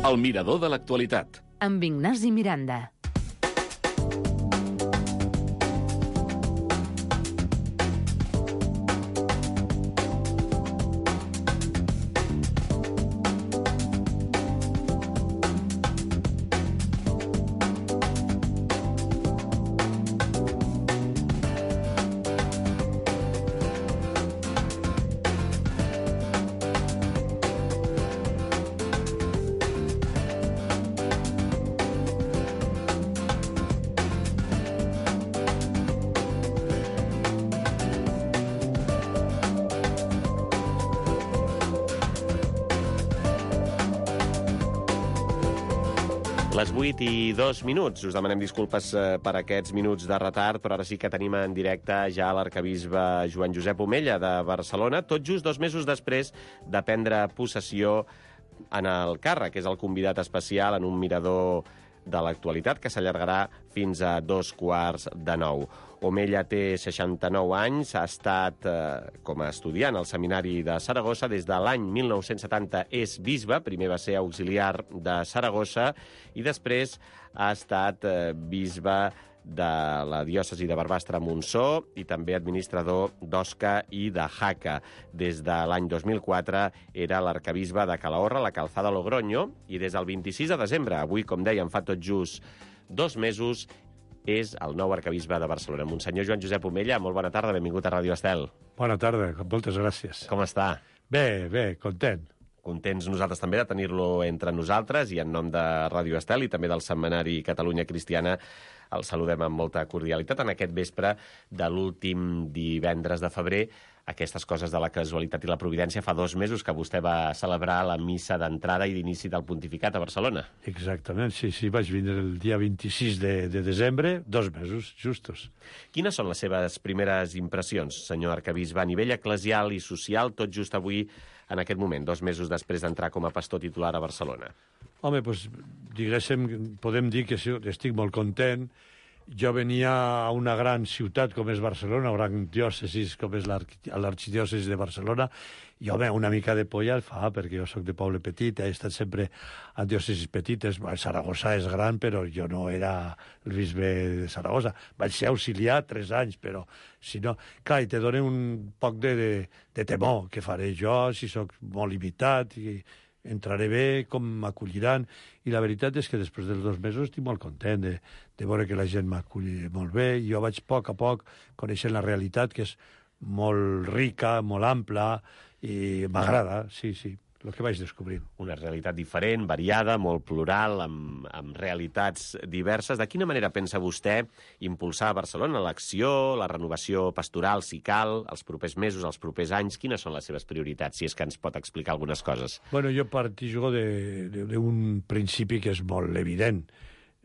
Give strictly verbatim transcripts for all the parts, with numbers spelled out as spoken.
El mirador de l'actualitat. Amb Ignasi Miranda. Les vuit i dos minuts. Us demanem disculpes per aquests minuts de retard, però ara sí que tenim en directe ja l'arcabisbe Joan Josep Omella de Barcelona, tot just dos mesos després de prendre possessió en el càrrec, que és el convidat especial en un mirador de l'actualitat que s'allargarà fins a dos quarts de nou. Omella té seixanta-nou anys, ha estat eh, com a estudiant al Seminari de Saragossa des de l'any mil nou-cents setanta, és bisbe, primer va ser auxiliar de Saragossa i després ha estat eh, bisbe de la diòcesi de Barbastre-Montsó i també administrador d'Osca i de Jaca. Des de l'any dos mil quatre era l'arcabisbe de Calahorra, la Calzada Logroño, i des del vint-i-sis de desembre, avui, com dèiem, fa tot just dos mesos, és el nou arcabisbe de Barcelona. Monsenyor Joan Josep Omella, molt bona tarda, benvingut a Ràdio Estel. Bona tarda, moltes gràcies. Com està? Bé, bé, content. Contents nosaltres també de tenir-lo entre nosaltres i en nom de Ràdio Estel i també del Setmanari Catalunya Cristiana el saludem amb molta cordialitat en aquest vespre de l'últim divendres de febrer. Aquestes coses de la casualitat i la providència, fa dos mesos que vostè va celebrar la missa d'entrada i d'inici del pontificat a Barcelona. Exactament, sí, sí, vaig vindre el dia vint-i-sis de, de desembre, dos mesos, justos. Quines són les seves primeres impressions, senyor arcabisbe, a nivell eclesial i social, tot just avui, en aquest moment, dos mesos després d'entrar com a pastor titular a Barcelona? Home, doncs, diguéssim, podem dir que estic molt content. Jo venia a una gran ciutat com és Barcelona, una gran diòcesi com és l'arxidiòcesi de Barcelona, i, home, una mica de polla el fa, perquè jo sóc de poble petit, he estat sempre a diòcesis petites. Saragossa és gran, però jo no era el bisbe de Saragossa. Vaig ser auxiliar tres anys, però si no... Clar, i te dona un poc de, de, de temor. Què faré jo si sóc molt limitat i entraré bé, com m'acolliran. I la veritat és que després dels dos mesos estic molt content de, de veure que la gent m'aculli molt bé. Jo vaig a poc a poc coneixent la realitat, que és molt rica, molt ampla, i m'agrada, sí, sí, el que vaig descobrint. Una realitat diferent, variada, molt plural, amb, amb realitats diverses. De quina manera pensa vostè impulsar a Barcelona l'acció, la renovació pastoral, si cal, els propers mesos, els propers anys? Quines són les seves prioritats, si és que ens pot explicar algunes coses? Bueno, jo partijo d'un principi que és molt evident.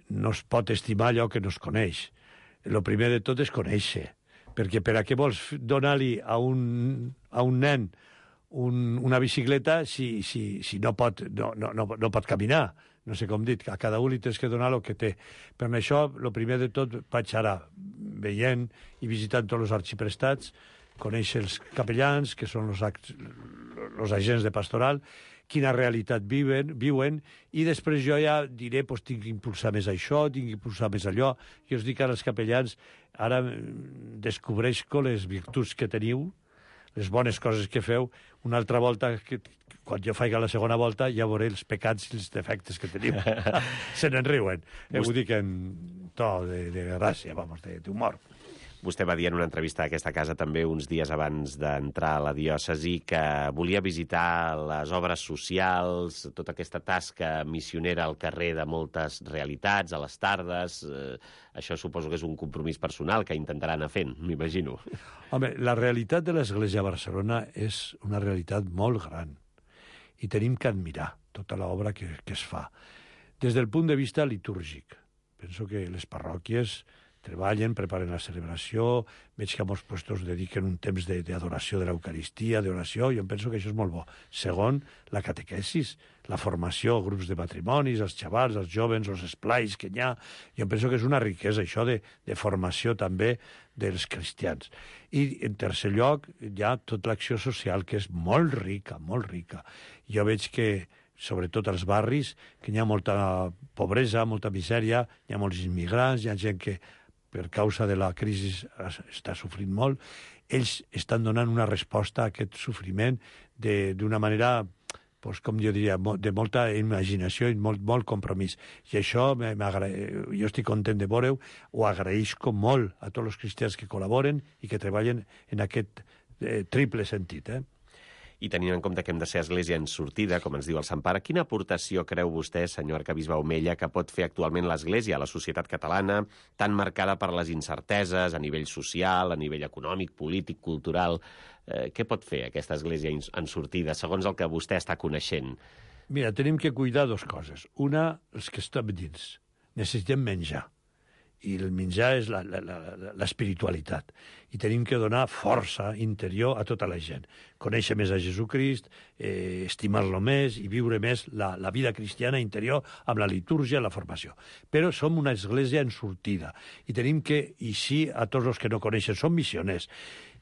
No es pot estimar allò que no es coneix. El primer de tot és conèixer, perquè per a què vols donar-li a un, a un nen Un, una bicicleta si, si, si no, pot, no, no, no, no pot caminar. No sé com dit, a cada un li tens que donar el que té. Per això, el primer de tot, vaig ara veient i visitant tots els arxiprestats, conèixer els capellans, que són els, els agents de pastoral, quina realitat viuen, viuen, i després jo ja diré, doncs, tinc que impulsar més això, tinc que impulsar més allò. Jo us dic ara als capellans, ara descobreixo les virtuts que teniu, les bones coses que feu. Una altra volta, que, quan jo faig la segona volta, ja veuré els pecats i els defectes que teniu. Se n'en riuen. Eh, ho dic en to de, de gràcia, vamos, d'humor. Vostè va dir en una entrevista a aquesta casa també uns dies abans d'entrar a la diòcesi que volia visitar les obres socials, tota aquesta tasca missionera al carrer de moltes realitats, a les tardes. Eh, això suposo que és un compromís personal que intentarà anar fent, m'imagino. Home, la realitat de l'Església a Barcelona és una realitat molt gran i tenim que admirar tota l'obra que, que es fa. Des del punt de vista litúrgic, penso que les parròquies treballen, preparen la celebració, veig que a molts puestos dediquen un temps d'adoració de, de l'Eucaristia, d'oració, jo em penso que això és molt bo. Segon, la catequesis, la formació, grups de matrimonis, els xavals, els jovens, els esplais que hi ha, jo em penso que és una riquesa, això de, de formació també dels cristians. I, en tercer lloc, hi ha tota l'acció social, que és molt rica, molt rica. Jo veig que sobretot als barris, que hi ha molta pobresa, molta misèria, hi ha molts immigrants, hi ha gent que per causa de la crisi està sofrint molt. Ells estan donant una resposta a aquest sofriment d'una manera, pues, com jo diria, de molta imaginació i molt, molt compromís. I això jo estic content de veure-ho, ho agraïsco molt a tots els cristians que col·laboren i que treballen en aquest eh, triple sentit, eh? I tenint en compte que hem de ser església en sortida, com ens diu el Sant Pare, quina aportació creu vostè, senyor arquebisbe Omella, que pot fer actualment l'Església a la societat catalana, tan marcada per les incerteses a nivell social, a nivell econòmic, polític, cultural? Eh, què pot fer aquesta església en sortida, segons el que vostè està coneixent? Mira, tenim que cuidar dues coses. Una, els que estem dins. Necessitem menjar. I el menjar és l'espiritualitat. I tenim que donar força interior a tota la gent. Conèixer més a Jesucrist, eh, estimar-lo més i viure més la, la vida cristiana interior amb la litúrgia i la formació. Però som una església en sortida. I tenim que, i sí, a tots els que no coneixen, som missioners.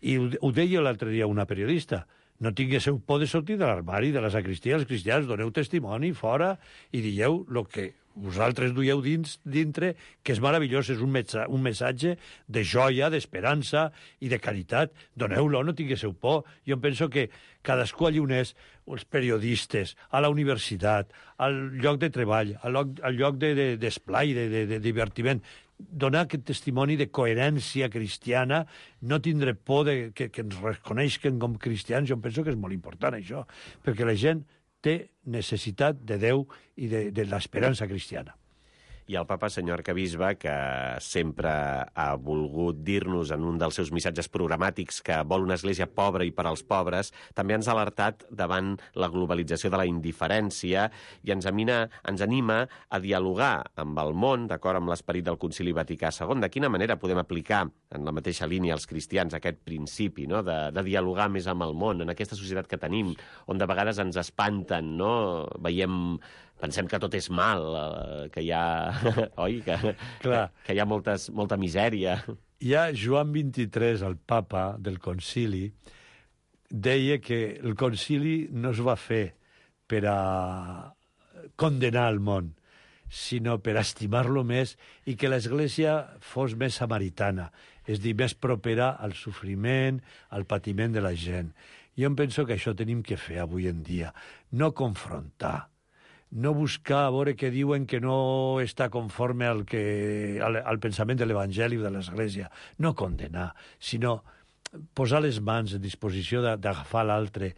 I ho, ho deia l'altre dia una periodista, no tinguéssiu por de sortir de l'armari, de la sacristia, els cristians, doneu testimoni fora i dieu el que vosaltres duieu dins, dintre, que és meravellós, és un, metsa, un missatge de joia, d'esperança i de caritat. Doneu-lo, no tinguéssiu por. Jo penso que cadascú allí on és, els periodistes, a la universitat, al lloc de treball, al lloc, al lloc d'esplai, de, de, de, de divertiment, donar aquest testimoni de coherència cristiana, no tindre por de, que, que ens reconeixen com cristians, jo penso que és molt important això, perquè la gent té necessitat de Déu i de, de l'esperança cristiana. I el papa, senyor arquebisbe, que sempre ha volgut dir-nos en un dels seus missatges programàtics que vol una església pobra i per als pobres, també ens ha alertat davant la globalització de la indiferència i ens, amina, ens anima a dialogar amb el món, d'acord amb l'esperit del Concili Vaticà segon. De quina manera podem aplicar en la mateixa línia els cristians aquest principi, no? de, de dialogar més amb el món, en aquesta societat que tenim, on de vegades ens espanten, no? Veiem... Pensem que tot és mal, que hi ha... Oi? Que, que, que hi ha moltes, molta misèria. Ja Joan vint-i-tres, el papa del concili, deia que el concili no es va fer per a condenar el món, sinó per estimar-lo més i que l'Església fos més samaritana, és dir, més propera al sofriment, al patiment de la gent. Jo em penso que això tenim que fer avui en dia, no confrontar, no buscar a veure què diuen que no està conforme al, que, al, al pensament de l'Evangeli o de l'Església. No condenar, sinó posar les mans en disposició d'agafar l'altre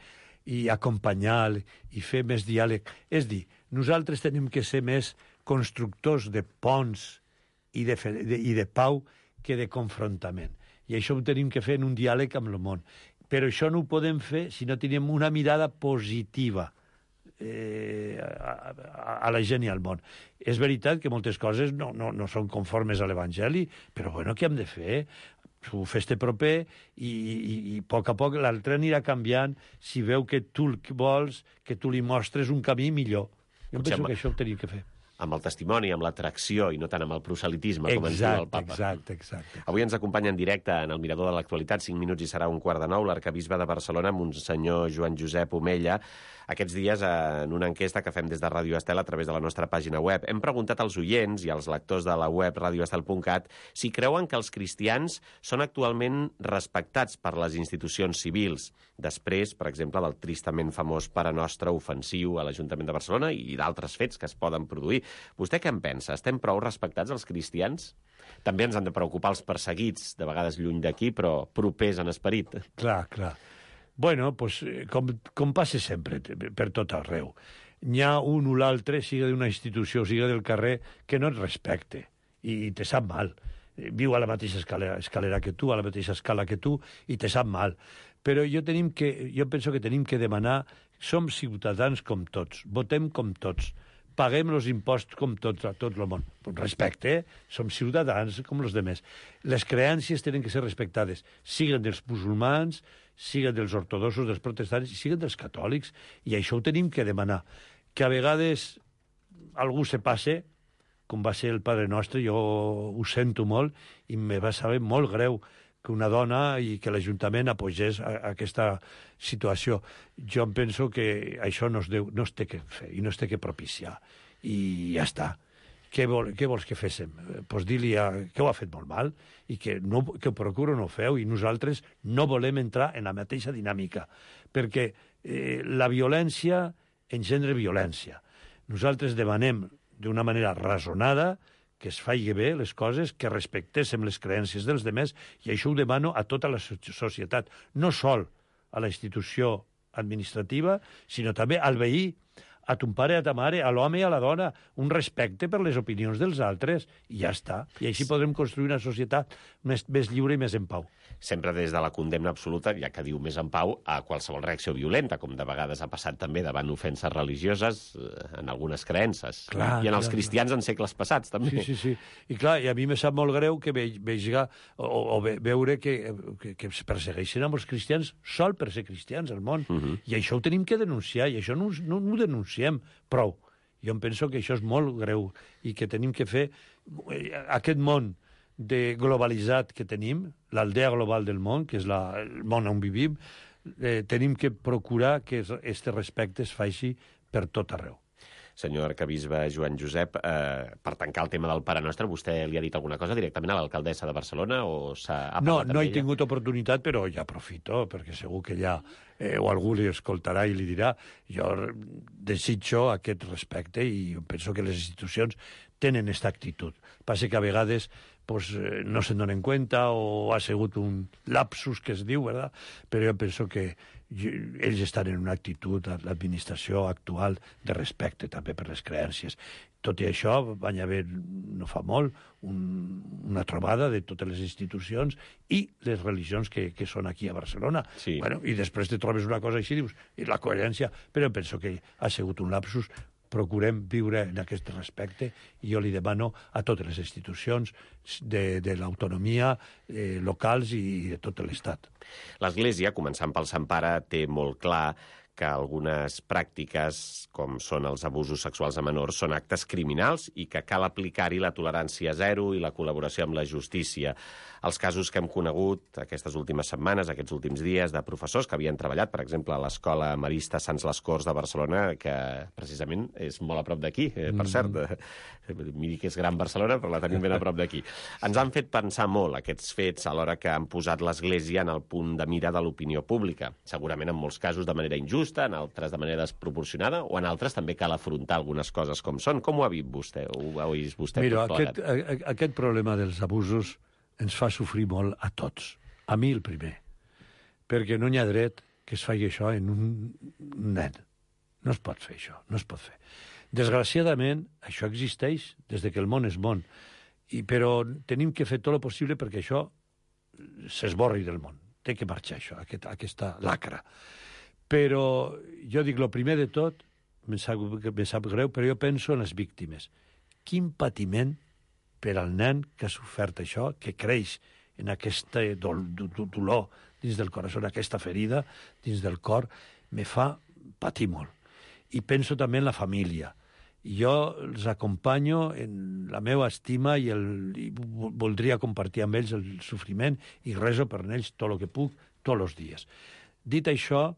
i acompanyar i fer més diàleg. És dir, nosaltres tenim que ser més constructors de ponts i de, de, i de pau que de confrontament. I això ho tenim que fer en un diàleg amb el món. Però això no ho podem fer si no tenim una mirada positiva Eh, a, a la gent i al món. És veritat que moltes coses no, no, no són conformes a l'Evangeli, però bueno, què hem de fer? Ho fes-te proper i, i, i a poc a poc l'altre anirà canviant si veu que tu el vols, que tu li mostres un camí millor. Jo Potser penso amb... que això ho tenim que fer. Amb el testimoni, amb l'atracció i no tant amb el proselitisme, com exacte, ens diu el papa. Exacte, exacte. Avui ens acompanya en directe en el Mirador de l'Actualitat, cinc minuts i serà un quart de nou, l'arquebisbe de Barcelona, Monsenyor Joan Josep Omella. Aquests dies, en una enquesta que fem des de Ràdio Estel a través de la nostra pàgina web, hem preguntat als oients i als lectors de la web radioestel punt cat si creuen que els cristians són actualment respectats per les institucions civils, després, per exemple, del tristament famós Pare Nostre ofensiu a l'Ajuntament de Barcelona i d'altres fets que es poden produir. Vostè què en pensa? Estem prou respectats els cristians? També ens han de preocupar els perseguits, de vegades lluny d'aquí, però propers en esperit. Clar, clar. Bueno, pues, com, com passa sempre, per tot arreu. N'hi ha un o l'altre, siga d'una institució, siga del carrer, que no et respecte i, i te sap mal. Viu a la mateixa escalera, escalera que tu, a la mateixa escala que tu, i te sap mal. Però jo, tenim que, jo penso que tenim que demanar, som ciutadans com tots, votem com tots, paguem els impostos com tots, a tot el món. Respecte, eh? Som ciutadans com els demés. Les creències tenen que ser respectades, siguen dels musulmans, siguen dels ortodoxos, dels protestants, i siguen dels catòlics, i això ho tenim que demanar. Que a vegades algú se passe, com va ser el Padre Nostre, jo ho sento molt, i me va saber molt greu que una dona i que l'Ajuntament apogés a, a aquesta situació. Jo em penso que això no es, deu, no es té que fer i no es té que propiciar. I ja està. Què, vol, què vols que féssim? Pues dir-li que ho ha fet molt mal i que, no, que ho procuro no ho feu i nosaltres no volem entrar en la mateixa dinàmica perquè eh, la violència engendre violència. Nosaltres demanem d'una manera razonada que es faci bé les coses, que respectéssim les creences dels demés, i això ho demano a tota la societat, no sol a la institució administrativa, sinó també al veí, a ton pare, a ta mare, a l'home i a la dona, un respecte per les opinions dels altres, i ja està. I així podrem construir una societat més, més lliure i més en pau. Sempre des de la condemna absoluta, ja que diu més en pau, a qualsevol reacció violenta, com de vegades ha passat també davant ofenses religioses en algunes creences. Clar, I en els clar, cristians clar. En segles passats, també. Sí, sí, sí. I clar, i a mi me sap molt greu que ve, veiga, o, o ve, veure que, que, que es persegueixen amb els cristians sol per ser cristians al món. Uh -huh. I això ho tenim que denunciar, i això no, no, no ho denunciem prou. Jo em penso que això és molt greu i que tenim que fer aquest món de globalitzat que tenim, l'aldea global del món, que és la, el món on vivim, eh, tenim que procurar que aquest respecte es faci per tot arreu. Senyor arquebisbe Joan Josep, eh, per tancar el tema del Pare Nostre, vostè li ha dit alguna cosa directament a l'alcaldessa de Barcelona o s'ha No, no he ella? tingut oportunitat, però ja aprofito, perquè segur que ja eh, o algú li escoltarà i li dirà. Jo desitjo aquest respecte i penso que les institucions tenen aquesta actitud. Passa que a vegades pues, eh, no se'n donen compte o ha sigut un lapsus que es diu, ¿verdad? Però jo penso que ells estan en una actitud, l'administració actual, de respecte també per les creences. Tot i això, van haver, no fa molt, un, una trobada de totes les institucions i les religions que, que són aquí a Barcelona. Sí. Bueno, i després te trobes una cosa així, dius, i la coherència, però penso que ha sigut un lapsus. Procurem viure en aquest respecte i jo li demano a totes les institucions de, de l'autonomia eh, locals i de tot l'Estat. L'Església, començant pel Sant Pare, té molt clar que algunes pràctiques, com són els abusos sexuals a menors, són actes criminals i que cal aplicar-hi la tolerància zero i la col·laboració amb la justícia. Els casos que hem conegut aquestes últimes setmanes, aquests últims dies, de professors que havien treballat, per exemple, a l'Escola Marista Sants les Corts de Barcelona, que precisament és molt a prop d'aquí, eh, per cert. Mm. Miri que és gran Barcelona, però la tenim ben a prop d'aquí. Ens han fet pensar molt aquests fets alhora que han posat l'Església en el punt de mira de l'opinió pública. Segurament en molts casos de manera injusta, en altres de manera desproporcionada, o en altres també cal afrontar algunes coses com són. Com ho ha vist vostè? Ho ha vist vostè? Mira, aquest, a, aquest problema dels abusos ens fa sofrir molt a tots. A mi el primer. Perquè no hi ha dret que es faci això en un nen. No es pot fer això, no es pot fer. Desgraciadament, això existeix des de que el món és món. I, però tenim que fer tot el possible perquè això s'esborri del món. Té que marxar això, aquest, aquesta lacra. Però jo dic, el primer de tot, me sap, me sap greu, però jo penso en les víctimes. Quin patiment per al nen que ha sofert això, que creix en aquest dol, dolor dins del corazó, aquesta ferida dins del cor, me fa patir molt. I penso també en la família. Jo els acompanyo en la meva estima i, el, i voldria compartir amb ells el sofriment i rezo per ells tot el que puc, tots els dies. Dit això,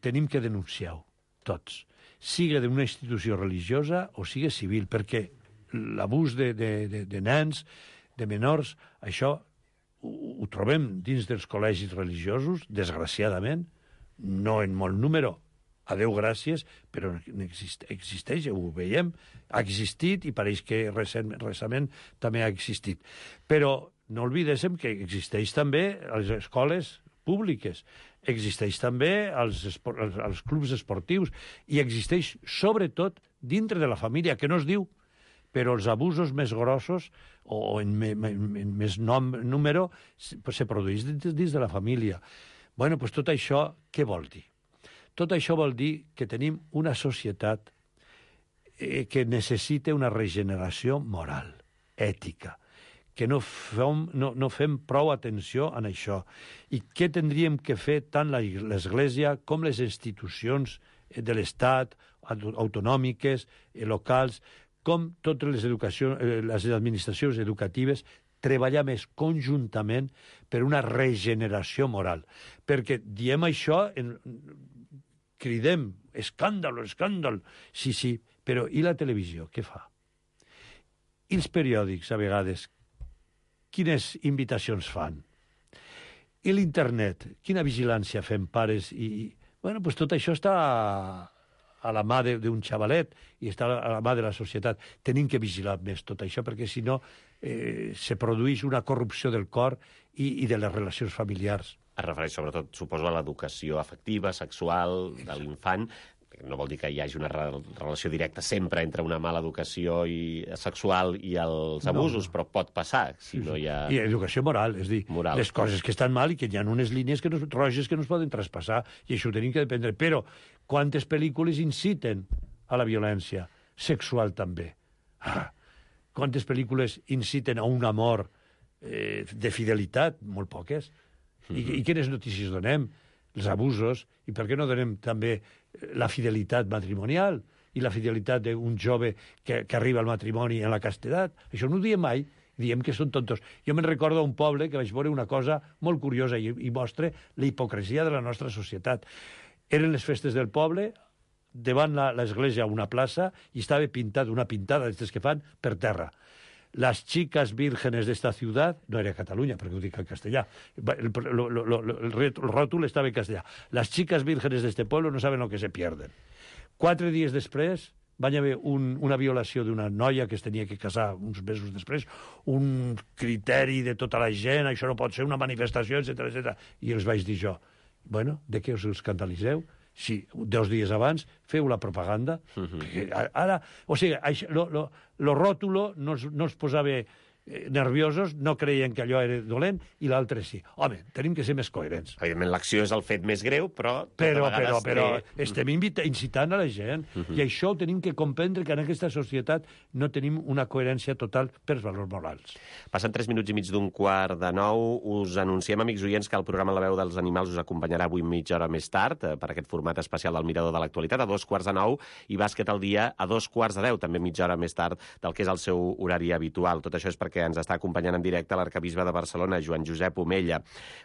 tenim que denunciar-ho, tots. Siga d'una institució religiosa o siga civil, perquè l'abús de, de, de, de nens, de menors, això ho, ho trobem dins dels col·legis religiosos, desgraciadament, no en molt número, a Déu gràcies, però exist, existeix, ho veiem, ha existit i pareix que recent, recentment també ha existit. Però no oblidéssim que existeix també a les escoles públiques, existeix també als, als, als clubs esportius i existeix sobretot dintre de la família, que no es diu, però els abusos més grossos o en, me, en més nom, número se produeix dins, dins de la família. Bueno, doncs tot això què vol dir? Tot això vol dir que tenim una societat eh, que necessita una regeneració moral, ètica, que no fem, no, no fem prou atenció en això. I què tindríem que fer tant l'Església com les institucions de l'Estat, autonòmiques, locals, com totes les, educacions, les administracions educatives, treballar més conjuntament per una regeneració moral. Perquè diem això, en... cridem, escàndol, escàndol, sí, sí, però i la televisió, què fa? I els periòdics, a vegades, quines invitacions fan? I l'internet, quina vigilància fem pares? I, bueno, pues tot això està a, a la mà d'un xavalet i està a la mà de la societat. Tenim que vigilar més tot això, perquè si no eh, se produeix una corrupció del cor i, i de les relacions familiars. Es refereix sobretot, suposo, a l'educació afectiva, sexual de l'infant. No vol dir que hi hagi una re relació directa sempre entre una mala educació i sexual i els abusos, no, no. Però pot passar si sí, no hi ha... I educació moral, és dir, moral. Les coses que estan mal i que hi ha unes línies que no, roges que no es poden traspassar, i això ho tenim que dependre. Però quantes pel·lícules inciten a la violència sexual també? Ah, quantes pel·lícules inciten a un amor eh, de fidelitat? Molt poques. I, I quines notícies donem? Els abusos, i per què no donem també la fidelitat matrimonial i la fidelitat d'un jove que, que arriba al matrimoni en la castedat? Això no ho diem mai, diem que són tontos. Jo me'n recordo un poble que vaig veure una cosa molt curiosa i, i mostra la hipocresia de la nostra societat. Eren les festes del poble, davant l'església una plaça, i estava pintat una pintada d'aquestes que fan per terra. Las chicas vírgenes de esta ciudad, no era Catalunya, perquè ho dic en castellà, el, el, el, el, el ròtol estava en castellà. Las chicas vírgenes de este pueblo no saben lo que se pierden. Quatre dies després van haver un, una violació d'una noia que es tenia que casar uns mesos després, un criteri de tota la gent, això no pot ser una manifestació, etcètera, etcètera. I els vaig dir jo, bueno, de què us escandaliseu? Si dos dies abans feu la propaganda, uh-huh. Ara, o sigui, això, lo, lo, lo ròtulo no, no els posava nerviosos, no creien que allò era dolent, i l'altre sí. Home, tenim que ser més coherents. Evidentment, l'acció és el fet més greu, però... Però, però, però té... estem invita, incitant a la gent, uh-huh. I això ho tenim que comprendre, que en aquesta societat no tenim una coherència total pels valors morals. Passen tres minuts i mig d'un quart de nou. Us anunciem, amics oients, que el programa La veu dels animals us acompanyarà avui mitja hora més tard, per aquest format especial del Mirador de l'Actualitat, a dos quarts de nou, i Bàsquet al dia a dos quarts de deu, també mitja hora més tard del que és el seu horari habitual. Tot això és perquè ens està acompanyant en directe l'arcabisbe de Barcelona, Joan Josep Omella.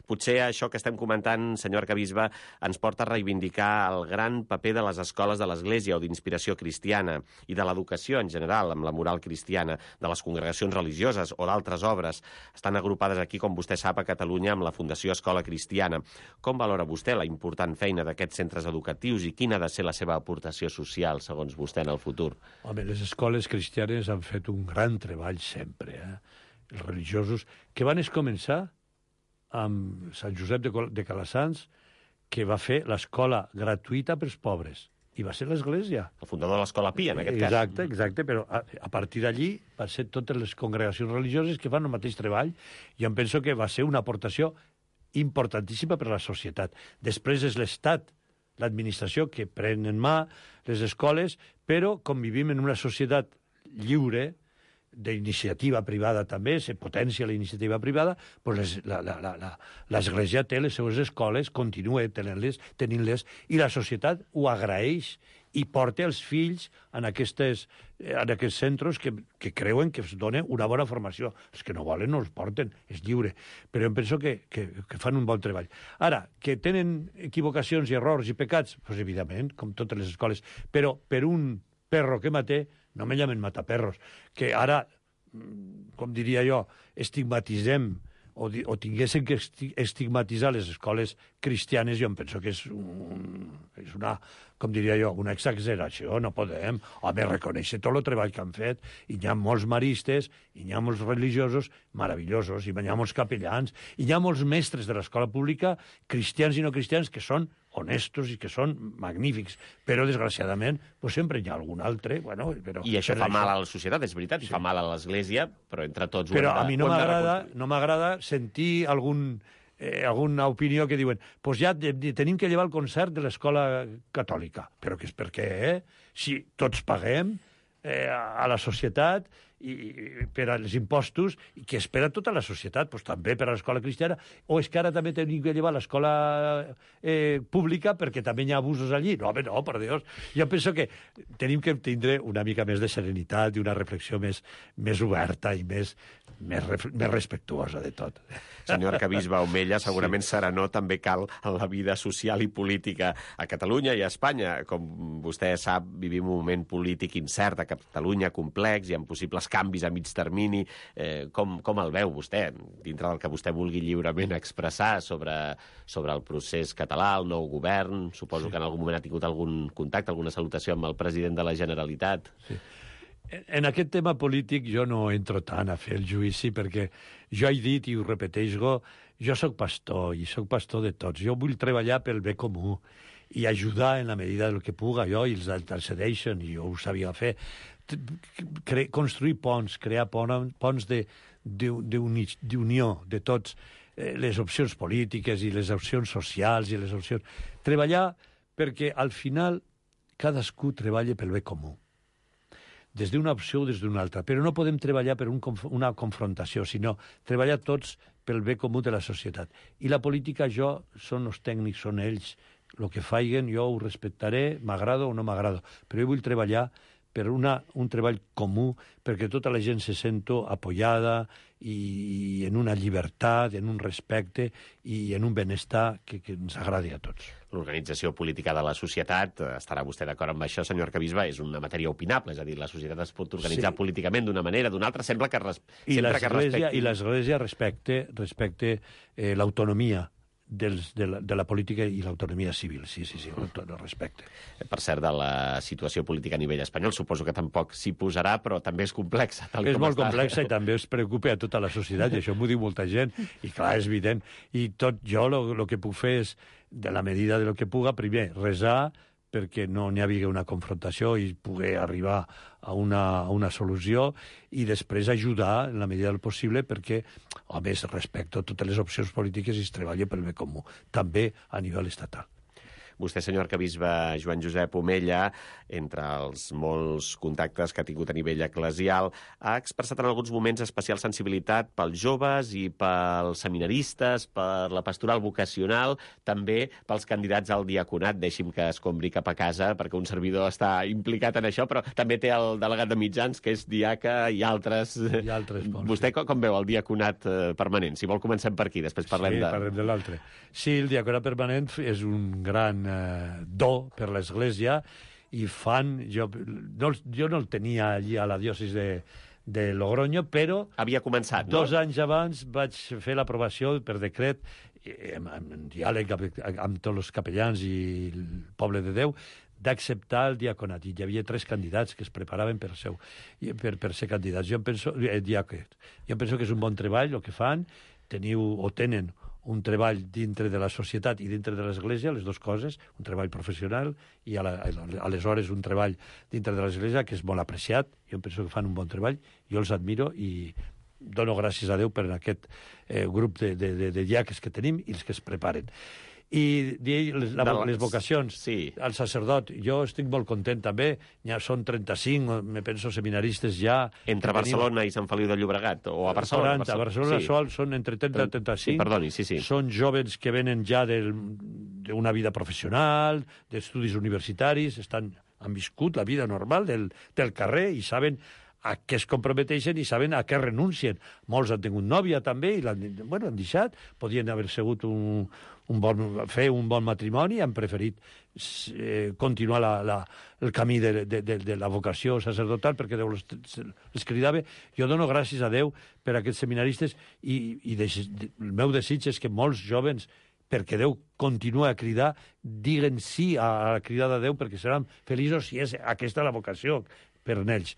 Potser això que estem comentant, senyor arcabisbe, ens porta a reivindicar el gran paper de les escoles de l'Església o d'inspiració cristiana i de l'educació en general, amb la moral cristiana, de les congregacions religioses o d'altres obres. Estan agrupades aquí, com vostè sap, a Catalunya amb la Fundació Escola Cristiana. Com valora vostè la important feina d'aquests centres educatius i quina ha de ser la seva aportació social, segons vostè, en el futur? Home, les escoles cristianes han fet un gran treball sempre, eh? Els religiosos, que van començar amb Sant Josep de, de Calasanç, que va fer l'escola gratuïta pels pobres. I va ser l'Església. El fundador de l'Escola Pia, en aquest exacte, cas. Exacte, exacte, però a, a partir d'allí van ser totes les congregacions religioses que fan el mateix treball. Jo em penso que va ser una aportació importantíssima per a la societat. Després és l'Estat, l'administració, que pren en mà les escoles, però com vivim en una societat lliure, d'iniciativa privada també, se potencia la iniciativa privada, doncs l'Església té les seves escoles, continua tenint-les, tenint-les, i la societat ho agraeix i porta els fills en, aquestes, en aquests centres que, que creuen que es dona una bona formació. Els que no volen no els porten, és lliure. Però em penso que, que, que fan un bon treball. Ara, que tenen equivocacions i errors i pecats, doncs evidentment, com totes les escoles, però per un perro que maté, no me llamen mataperros, que ara, com diria jo, estigmatitzem o, o tinguéssim que estigmatitzar les escoles cristianes, jo em penso que és, un, és una, com diria jo, una exageració, no podem. Home, reconèixer tot el treball que han fet, i hi ha molts maristes, i hi ha molts religiosos meravellosos, i hi ha molts capellans, i hi ha molts mestres de l'escola pública, cristians i no cristians, que són honestos i que són magnífics, però desgraciadament pues, sempre hi ha algun altre. Bueno, però, I això fa això... mal a la societat, és veritat, sí. Fa mal a l'Església, però entre tots ho però hem de... Però a mi no m'agrada no m'agrada sentir algun, eh, alguna opinió que diuen pues ja de, de, tenim que llevar el concert de l'escola catòlica. Però que és per què, eh? Si tots paguem eh, a la societat i, i per als impostos, i que espera tota la societat, doncs també per a l'escola cristiana, o és que ara també tenim que llevar l'escola eh, pública perquè també hi ha abusos allí? No, home, no, per Déu. Jo penso que tenim que tindre una mica més de serenitat i una reflexió més, més oberta i més, més, més respectuosa de tot. Senyor arquebisbe Omella, segurament sí. serenor també cal en la vida social i política a Catalunya i a Espanya. Com vostè sap, vivim un moment polític incert a Catalunya, complex, i amb possibles canvis a mig termini. Eh, com, com el veu vostè, dintre del que vostè vulgui lliurement expressar sobre, sobre el procés català, el nou govern? Suposo sí. que en algun moment ha tingut algun contacte, alguna salutació amb el president de la Generalitat. Sí. En aquest tema polític jo no entro tant a fer el judici perquè jo he dit i ho repeteixo, jo sóc pastor i sóc pastor de tots. Jo vull treballar pel bé comú i ajudar en la medida del que puga jo i els intercedeixen, i jo ho sabia fer. Cre construir ponts, crear ponts d'unió de tots, les opcions polítiques i les opcions socials i les opcions... Treballar perquè al final cadascú treballa pel bé comú, des d'una opció o des d'una altra, però no podem treballar per un, una confrontació, sinó treballar tots pel bé comú de la societat. I la política, jo, són els tècnics, són ells. El que faiguen jo ho respectaré, m'agrada o no m'agrada, però jo vull treballar per una, un treball comú, perquè tota la gent se sento apoyada i, i en una llibertat, en un respecte i en un benestar que, que ens agradi a tots. L'organització política de la societat, estarà vostè d'acord amb això, senyor arquebisbe, és una matèria opinable, és a dir, la societat es pot organitzar sí. políticament d'una manera, d'una altra, sembla que, res... I sempre que respecti... I l'Església respecte, respecte eh, l'autonomia dels, de, la, de la política i l'autonomia civil, sí, sí, sí, el respecte. Per cert, de la situació política a nivell espanyol, suposo que tampoc s'hi posarà, però també és complexa. Tal és com molt està. complexa i també es preocupa a tota la societat, i això m'ho diu molta gent, i clar, és evident. I tot jo el que puc fer és, de la medida de lo que puga, primer, resar perquè no n'hi havia una confrontació i poder arribar a una, a una solució, i després ajudar en la medida del possible perquè, a més, respecto a totes les opcions polítiques i es treballa pel bé comú, també a nivell estatal. Vostè, senyor arquebisbe Joan Josep Omella, entre els molts contactes que ha tingut a nivell eclesial, ha expressat en alguns moments especial sensibilitat pels joves i pels seminaristes, per la pastoral vocacional, també pels candidats al diaconat. Deixi'm que escombri cap a casa, perquè un servidor està implicat en això, però també té el delegat de mitjans, que és diaca, i altres... I altres bons, Vostè sí. com, com veu el diaconat permanent? Si vol, comencem per aquí, després parlem sí, de... Sí, parlem de l'altre. Sí, el diaconat permanent és un gran eh, do per l'Església, i fan... Jo no, jo no el tenia allí a la diòcesi de, de Logroño, però... Havia començat, no? Dos anys abans vaig fer l'aprovació per decret, en, en diàleg amb, amb tots els capellans i el poble de Déu, d'acceptar el diaconat. I hi havia tres candidats que es preparaven per, seu, per, per ser candidats. Jo em penso, eh, diàquet. Jo em penso que és un bon treball el que fan. Teniu o tenen un treball dintre de la societat i dintre de l'Església, les dues coses, un treball professional i a la, aleshores un treball dintre de l'Església que és molt apreciat. Jo penso que fan un bon treball, jo els admiro i dono gràcies a Déu per aquest eh, grup de, de, de, de diaques que tenim i els que es preparen. I les, la, les vocacions, sí. El sacerdot, jo estic molt content també, ja són trenta-cinc, me penso, seminaristes ja... Entre Barcelona tenim... i Sant Feliu de Llobregat, o a Barcelona? quaranta, a Barcelona sí. Sol són entre trenta i trenta-cinc. Sí, perdoni, sí, sí. Són jovens que venen ja d'una vida professional, d'estudis universitaris, estan, han viscut la vida normal del, del carrer i saben a què es comprometeixen i saben a què renuncien. Molts han tingut nòvia també i l'han bueno, han deixat, podien haver sigut un, un bon, fer un bon matrimoni, han preferit eh, continuar la, la, el camí de, de, de, de la vocació sacerdotal perquè Déu les, les cridava. Jo dono gràcies a Déu per a aquests seminaristes i, i de, el meu desig és que molts jovens, perquè Déu continua a cridar, diguen sí a la cridada de Déu perquè seran feliços si és aquesta la vocació per ells.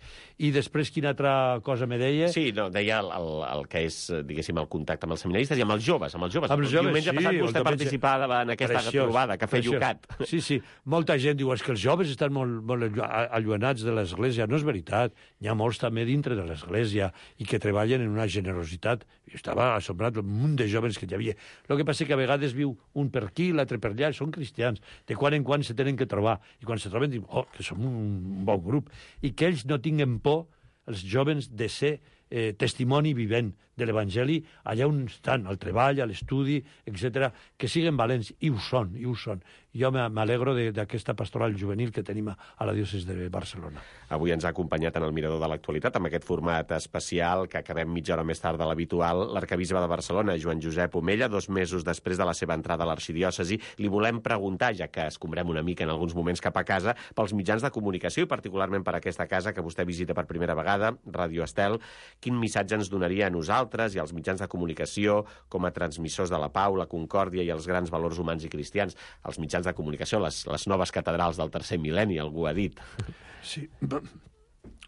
I després, quina altra cosa me deia? Sí, no, deia el, el, el que és, diguéssim, el contacte amb els seminaristes i amb els joves, amb els joves. Amb els joves, diumenge sí. passat vostè participava en aquesta preciós, trobada, Cafè preciós. Llucat. Sí, sí. Molta gent diu, és que els joves estan molt, molt allunyats de l'Església. No és veritat. N'hi ha molts també dintre de l'Església i que treballen en una generositat. Jo estava assombrat del munt de joves que hi havia. El que passa és que a vegades viu un per aquí, l'altre per allà, són cristians. De quan en quan se tenen que trobar. I quan se troben diuen, oh, que som un bon grup. I que ells no tinguen por, els jovens, de ser eh, testimoni vivent de l'Evangeli allà on estan, al treball, a l'estudi, etcètera, que siguen valents, i ho són, i ho són. Jo m'alegro d'aquesta pastoral juvenil que tenim a la diòcesi de Barcelona. Avui ens ha acompanyat en el Mirador de l'Actualitat, amb aquest format especial que acabem mitja hora més tard de l'habitual, l'arcabisbe de Barcelona, Joan Josep Omella, dos mesos després de la seva entrada a l'arxidiòcesi. Li volem preguntar, ja que escombrem una mica en alguns moments cap a casa, pels mitjans de comunicació i particularment per aquesta casa que vostè visita per primera vegada, Ràdio Estel, quin missatge ens donaria a nosaltres i als mitjans de comunicació com a transmissors de la pau, la concòrdia i els grans valors humans i cristians? Els mitjans de comunicació, les, les noves catedrals del tercer mil·lenni, algú ha dit. Sí.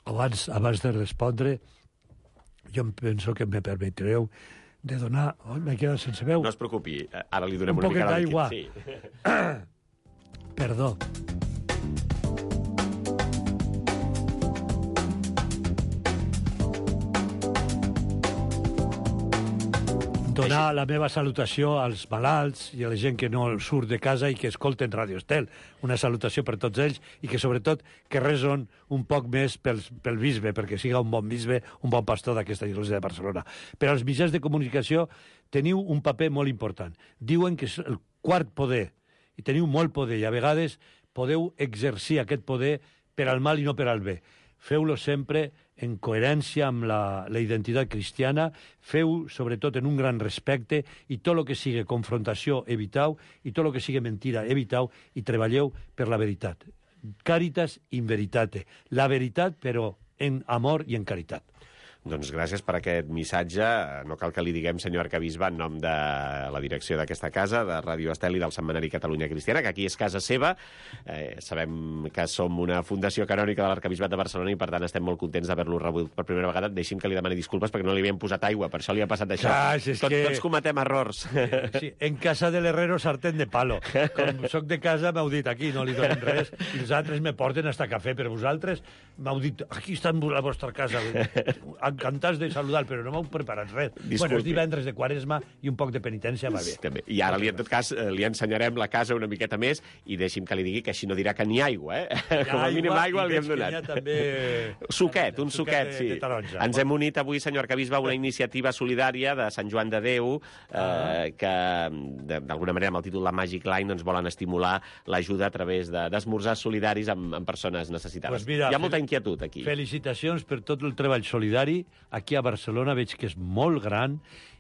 Abans, abans de respondre, jo em penso que me permetreu de donar... Oh, m'he quedat sense veu. No es preocupi, ara li donem un una mica d'aigua. Sí. Perdó. Donar la meva salutació als malalts i a la gent que no surt de casa i que escolten Ràdio Estel. Una salutació per tots ells i que, sobretot, que reson un poc més pel, pel bisbe, perquè siga un bon bisbe, un bon pastor d'aquesta església de Barcelona. Per als mitjans de comunicació teniu un paper molt important. Diuen que és el quart poder, i teniu molt poder, i a vegades podeu exercir aquest poder per al mal i no per al bé. Feu-lo sempre en coherència amb la, la identitat cristiana, feu, sobretot, en un gran respecte, i tot el que sigui confrontació, evitau, i tot el que sigui mentira, evitau, i treballeu per la veritat. Caritas in veritate. La veritat, però en amor i en caritat. Doncs gràcies per aquest missatge. No cal que li diguem, senyor arcabisbe, en nom de la direcció d'aquesta casa, de Ràdio Estel i del Setmanari Catalunya Cristiana, que aquí és casa seva. Eh, sabem que som una fundació canònica de l'Arcabisbat de Barcelona i, per tant, estem molt contents d'haver-lo rebut per primera vegada. Deixi'm que li demani disculpes perquè no li havíem posat aigua, per això li ha passat això. Clar, és Tot, que... Tots cometem errors. Sí, en casa de l'herrero sartén de palo. Com soc de casa m'heu dit aquí, no li donem res, i els altres me porten hasta cafè, però vosaltres m'heu dit, aquí està la vostra casa, encantats de saludar, però no m'heu preparat res. Disculpi. Bueno, és divendres de Quaresma i un poc de penitència va bé. També. I ara, li, en tot cas, li ensenyarem la casa una miqueta més i deixi'm que li digui que així no dirà que ni aigua, eh? Com a mínim aigua li hem donat. També... Suquet, un suquet, de, sí. de taronja. Ens hem unit avui, senyor arcabisbe, a una iniciativa solidària de Sant Joan de Déu, eh, ah. que, d'alguna manera, amb el títol La Magic Line, doncs, volen estimular l'ajuda a través d'esmorzars de, solidaris amb, amb persones necessitades. Pues mira, hi ha molta inquietud aquí. Felicitacions per tot el treball solidari. Aquí a Barcelona veig que és molt gran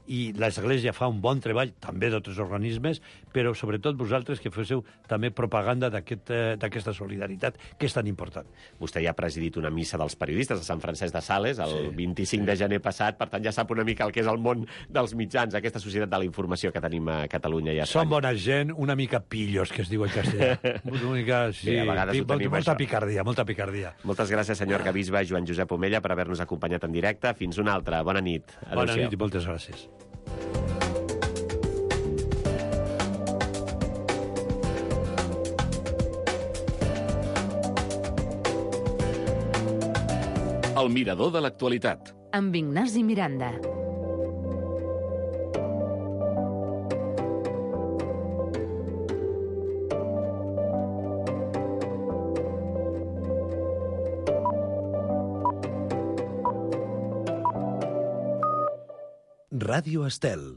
i l'Església fa un bon treball, també d'altres organismes, però sobretot vosaltres que féssiu també propaganda d'aquesta aquest, solidaritat, que és tan important. Vostè ja ha presidit una missa dels periodistes a Sant Francesc de Sales el sí, vint-i-cinc sí. de gener passat, per tant ja sap una mica el que és el món dels mitjans, aquesta societat de la informació que tenim a Catalunya i a Espanya. Som bona gent, una mica pillos, que es diu en castellà. Una mica, sí, Bé, a vegades pi, ho tenim, molta això. picardia, molta picardia. Moltes gràcies, senyor arcabisbe Joan Josep Omella, per haver-nos acompanyat en directe. Fins una altra. Bona nit. Bona nit i moltes gràcies. El Mirador de l'Actualitat. Amb Ignasi Miranda. Ràdio Estel.